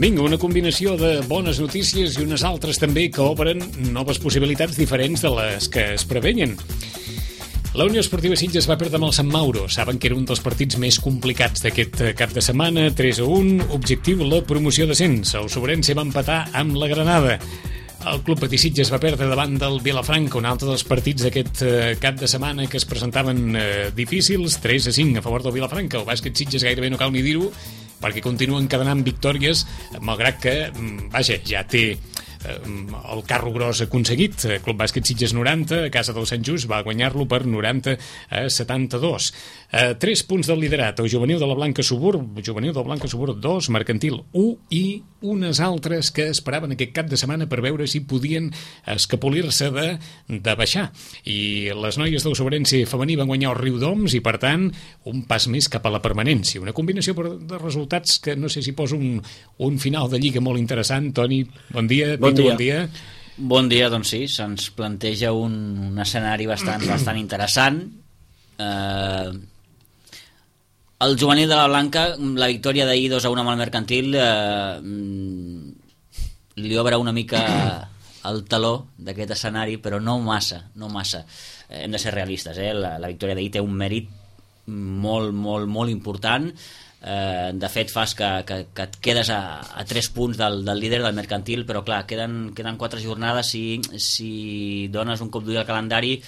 Vinga, una combinació de bones notícies i unes altres també que obren noves possibilitats diferents de les que es preveien. La Unió Esportiva Sitges va perdre amb el Sant Mauro. Saben que era un dels partits més complicats d'aquest cap de setmana. 3-1, objectiu la promoció d'ascens. El Sobrense va empatar amb la Granada. El Club Patí Sitges va perdre davant del Vilafranca, un altre dels partits d'aquest cap de setmana que es presentaven difícils. 3-5 a favor del Vilafranca. El bàsquet Sitges gairebé no cal ni dir-ho, perquè continuen encadenant victòries, malgrat que, vaja, ja té el carro gros aconseguit. Club Bàsquet Sitges 90, a casa del Sant Just, va guanyar-lo per 90-72. 3 punts del liderat. El juvenil de la Blanca Suburb 2, Mercantil 1, i unes altres que esperaven aquest cap de setmana per veure si podien escapolir-se de baixar. I les noies del Sobrense femení van guanyar el Riudoms i, per tant, un pas més cap a la permanència. Una combinació de resultats que no sé si posa un final de Lliga molt interessant. Toni, bon dia. Bon dia. Bon dia, doncs sí, se'ns planteja un escenari bastant interessant. El juvenil de la Blanca, la victòria d'ahir 2-1 amb el Mercantil, li obre una mica el taló d'aquest escenari, però no massa. Hem de ser realistes, la victòria d'ahir té un mèrit molt important. De fet, fas que et quedes a 3 punts del líder del Mercantil, però clar, queden 4 jornades. Si dones un cop d'ull al calendari,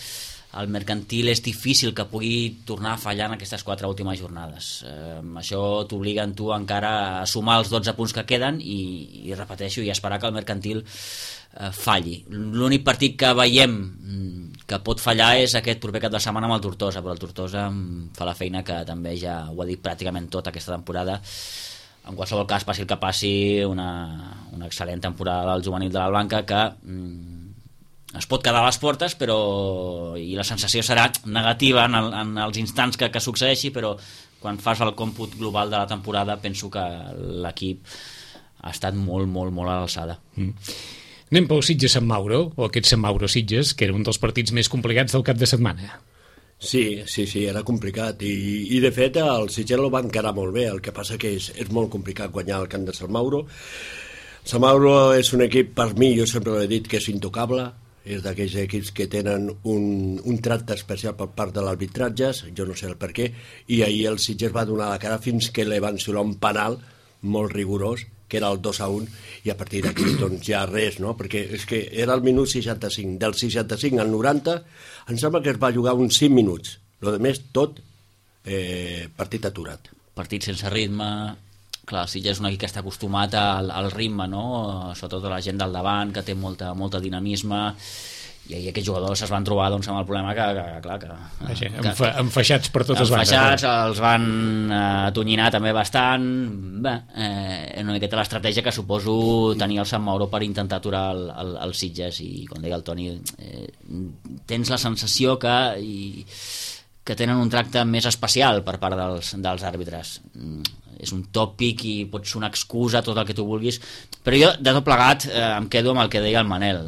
el Mercantil és difícil que pugui tornar a fallar en aquestes 4 últimes jornades. Això t'obliga en tu encara a sumar els 12 punts que queden i repeteixo, i esperar que el Mercantil falli. L'únic partit que veiem que pot fallar és aquest proper cap de setmana amb el Tortosa, però el Tortosa fa la feina que també ja ho ha dit pràcticament tot aquesta temporada. En qualsevol cas, passi el que passi, una excel·lent temporada del juvenil de la Blanca, que es pot quedar a les portes, però i la sensació serà negativa en els instants que succeeixi, però quan fas el còmput global de la temporada penso que l'equip ha estat molt a l'alçada. Anem pel Sitges-Sant Mauro, o aquest Sant Mauro-Sitges, que era un dels partits més complicats del cap de setmana. Sí, era complicat i de fet el Sitges el va encarar molt bé, el que passa que és molt complicat guanyar el camp de Sant Mauro. Sant Mauro és un equip, per mi, jo sempre l'he dit, que és intocable, és d'aquells equips que tenen un tracte especial per part de l'arbitratge, jo no sé el per què, i ahir el Sitges va donar la cara fins que li van xiular un penal molt rigorós, que era el 2-1, i a partir d'aquí doncs ja res, no? Perquè és que era el minut 65, del 65 al 90 em sembla que es va jugar uns 5 minuts, el més tot partit aturat. Partit sense ritme. Clar, el Sitges és un equip que està acostumat al ritme, no? Sobretot la gent del davant, que té molta dinamisme, i ahir aquests jugadors es van trobar amb el problema que enfaixats per totes bandes. Enfaixats, els van atonyinar també bastant. Una miqueta l'estratègia que suposo tenir el Sant Mauro per intentar aturar el Sitges, i com deia el Toni, tens la sensació que tenen un tracte més especial per part dels àrbitres. És un tòpic i pot ser una excusa, tot el que tu vulguis, però jo de tot plegat em quedo amb el que deia el Manel.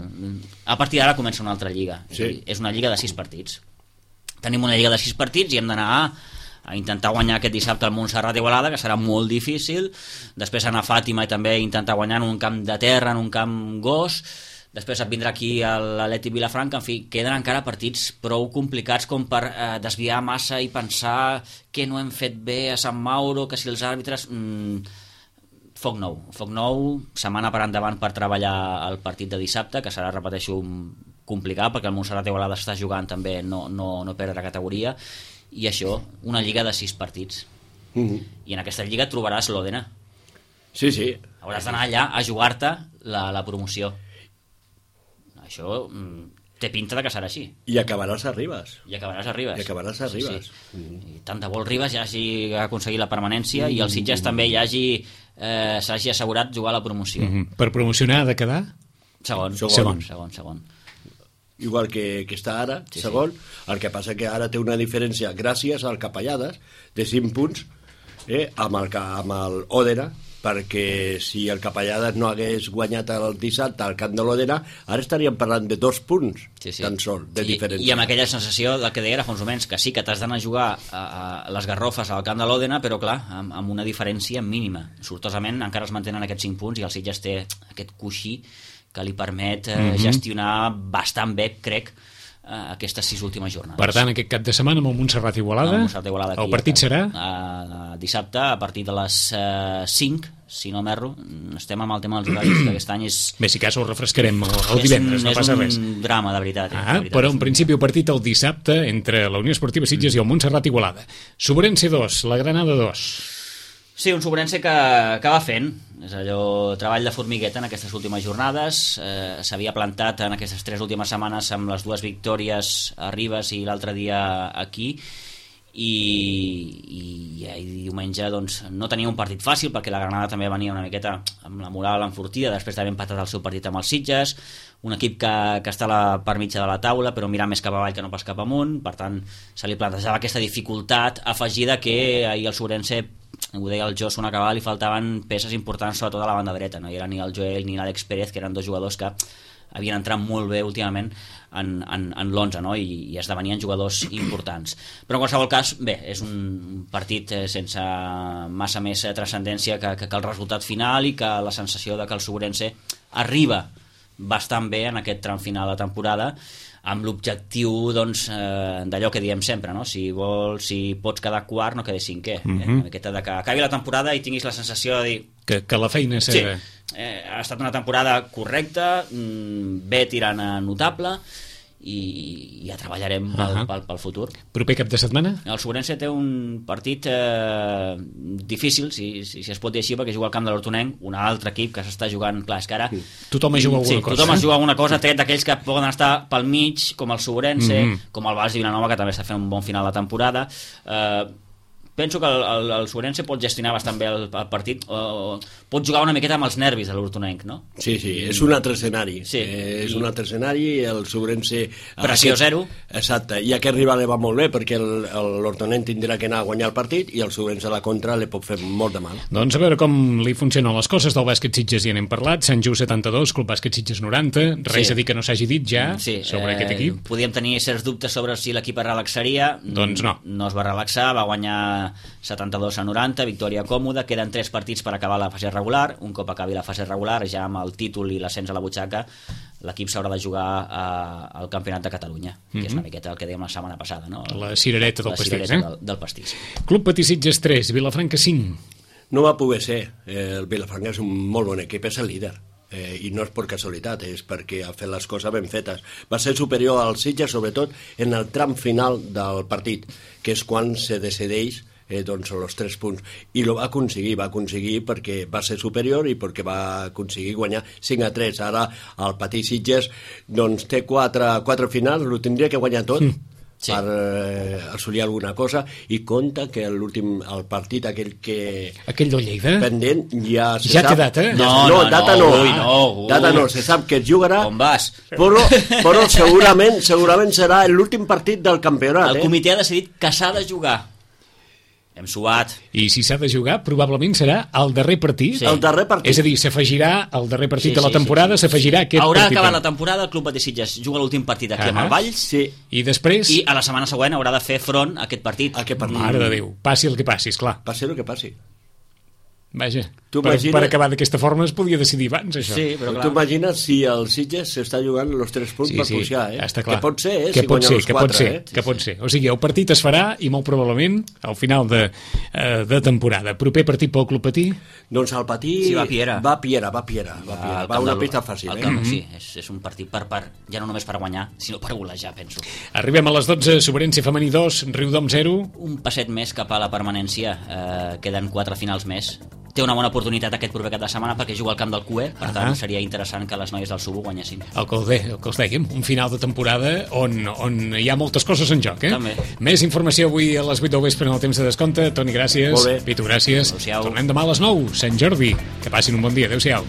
A partir d'ara comença una altra lliga. Sí. És una lliga de 6 partits. Tenim una lliga de 6 partits i hem d'anar a intentar guanyar aquest dissabte al Montserrat Igualada, que serà molt difícil. Després anar a Fàtima i també intentar guanyar en un camp de terra, en un camp gos. Després et vindrà aquí l'Atlètic Vilafranca. En fi, queden encara partits prou complicats com per desviar massa i pensar que no hem fet bé a Sant Mauro, que si els àrbitres... Foc nou, setmana per endavant per treballar el partit de dissabte, que serà, repeteixo, complicat, perquè el Montserrat Igualada està jugant també no perdre categoria, i això, una lliga de 6 partits. I en aquesta lliga trobaràs l'Òdena. Sí. Hauràs d'anar allà a jugar-te la promoció. Això té pinta de que serà així. I acabaràs a Ribes. Sí. I tant de bo el Ribes ja hagi aconseguit la permanència i el Sitges també ja s'hagi assegurat jugar a la promoció. Per promocionar ha de quedar? Segon. Igual que està ara, segon. El que passa que ara té una diferència gràcies al Capellades de 5 punts amb el Òdena, perquè si el Capellades no hagués guanyat el dissabte al camp de l'Òdena, ara estaríem parlant de 2 punts tan sol de diferència. I amb aquella sensació del que deia Alfons Omens, que sí que t'has d'anar a jugar a les Garrofes al camp de l'Òdena, però clar, amb una diferència mínima. Sortosament encara es mantenen aquests 5 punts i el Sitges té aquest coixí que li permet gestionar bastant bé, crec, aquestes 6 últimes jornades. Per tant, aquest cap de setmana amb el Montserrat Igualada, el partit serà? Dissabte, a partir de les 5, si no m'erro. Estem amb el tema dels horaris, que aquest any és... Bé, si cas ho refrescarem el divendres, no passa res. És un drama, de veritat. Però en principi el partit el dissabte entre la Unió Esportiva Sitges i el Montserrat Igualada. Sobrense 2, la Granada 2. Sí, un Sobrense que va fent. És allò, treball de formigueta en aquestes últimes jornades. S'havia plantat en aquestes 3 últimes setmanes amb les 2 victòries a Ribes i l'altre dia aquí, i diumenge doncs, no tenia un partit fàcil, perquè la Granada també venia una miqueta amb la moral enfortida després d'haver empatat el seu partit amb els Sitges, un equip que està per mitja de la taula però mirant més cap avall que no pas cap amunt. Per tant, se li plantejava aquesta dificultat afegida que ahir el Sobrense, ho deia el Josu en acabar, li faltaven peces importants sobretot a la banda dreta, no hi era ni el Joel ni l'Àlex Pérez, que eren 2 jugadors que havien entrat molt bé últimament en l'11, no? I esdevenien jugadors importants. Però en qualsevol cas, bé, és un partit sense massa més transcendència que el resultat final, i que la sensació de que el Sobrense arriba bastant bé en aquest tram final de temporada, amb l'objectiu doncs, d'allò que diem sempre, no? Si pots quedar quart, no quedis cinquè. Aquesta de que acabi la temporada i tinguis la sensació de dir... Que la feina és... Sí, ha estat una temporada correcta, bé tirant a notable, i ja treballarem pel futur. Proper cap de setmana? El Sobrense té un partit difícil, si es pot dir així, perquè juga al camp de l'Hortonenc, un altre equip que s'està jugant, clar, és que ara... Tothom es juga alguna cosa. Tothom es juga alguna cosa, tret d'aquells que poden estar pel mig, com el Sobrense, com el Valls i Vilanova, que també està fent un bon final de temporada. Penso que el Sobrense pot gestionar bastant bé el partit, pot jugar una miqueta amb els nervis de l'Hortonenc, no? Sí, és un altre escenari. És un altre escenari, el Sobrense... Pressió zero. Exacte, i aquest rival va molt bé, perquè l'Hortonenc tindrà que anar a guanyar el partit i el Sobrense a la contra li pot fer molt de mal. Doncs a veure com li funcionen les coses del bàsquet Sitges, ja n'hem parlat. Sant Just 72, Club Bàsquet Sitges 90, res a dir que no s'hagi dit ja sobre aquest equip. Podíem tenir certs dubtes sobre si l'equip es relaxaria. Doncs no. No es va relaxar, va guanyar 72-90, victòria còmoda. Queden 3 partits per acabar la fase regular. Un cop acabi la fase regular, ja amb el títol i l'ascens a la butxaca, l'equip s'haurà de jugar al Campionat de Catalunya, que és una miqueta el que dèiem la setmana passada, no? La cirereta del pastís, del pastís. Club Patí Sitges 3, Vilafranca 5. No va poder ser. El Vilafranca és un molt bon equip, és el líder. I no és per casualitat, és perquè ha fet les coses ben fetes. Va ser superior al Sitges, sobretot en el tram final del partit, que és quan se decideix doncs els 3 punts, i va aconseguir perquè va ser superior i perquè va aconseguir guanyar 5-3. Ara el Patí Sitges doncs té 4 finals, ho tindria que guanyar tot per assolir alguna cosa, i compta que el partit aquell del Lleida pendent ja té data? Data no, se sap que es jugarà. On vas? Però segurament serà l'últim partit del campionat. El comitè ha decidit que s'ha de jugar. Hem suat. I si s'ha de jugar, probablement serà el darrer partit. El darrer partit. És a dir, s'afegirà el darrer partit de la temporada, s'afegirà aquest partit. Haurà acabat la temporada, el Club Patí Sitges juga l'últim partit aquí amb el Valls. I després... I a la setmana següent haurà de fer front a aquest partit. Mare de Déu, passi el que passi, esclar. Passi el que passi. Vaja, per acabar d'aquesta forma es podia decidir abans, això. Sí, però clar. Tu imagines si el Sitges s'està jugant els 3 punts per pujar, està clar. Que pot ser, si guanya els 4. Que pot ser. O sigui, el partit es farà, i molt probablement al final de temporada. Proper partit pel Club Patí? Doncs el Patí va a Piera. Va una pista fàcil. Sí, és un partit ja no només per guanyar, sinó per golejar, penso. Arribem a les 12, Sobrense femení 2, Riudom 0. Un passet més cap a la permanència. Queden 4 finals més. Té una bona oportunitat aquest proper cap de setmana perquè juga al camp del CUE, per tant seria interessant que les noies del Subu guanyessin. El que us dèiem, un final de temporada on hi ha moltes coses en joc, També. Més informació avui a les 8 del vespre en el temps de descompte. Toni, gràcies. Molt bé. Pitu, gràcies. Tornem demà a les 9, Sant Jordi. Que passin un bon dia. Adéu-siau.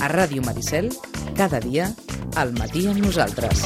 A Ràdio Maricel, cada dia, al matí amb nosaltres.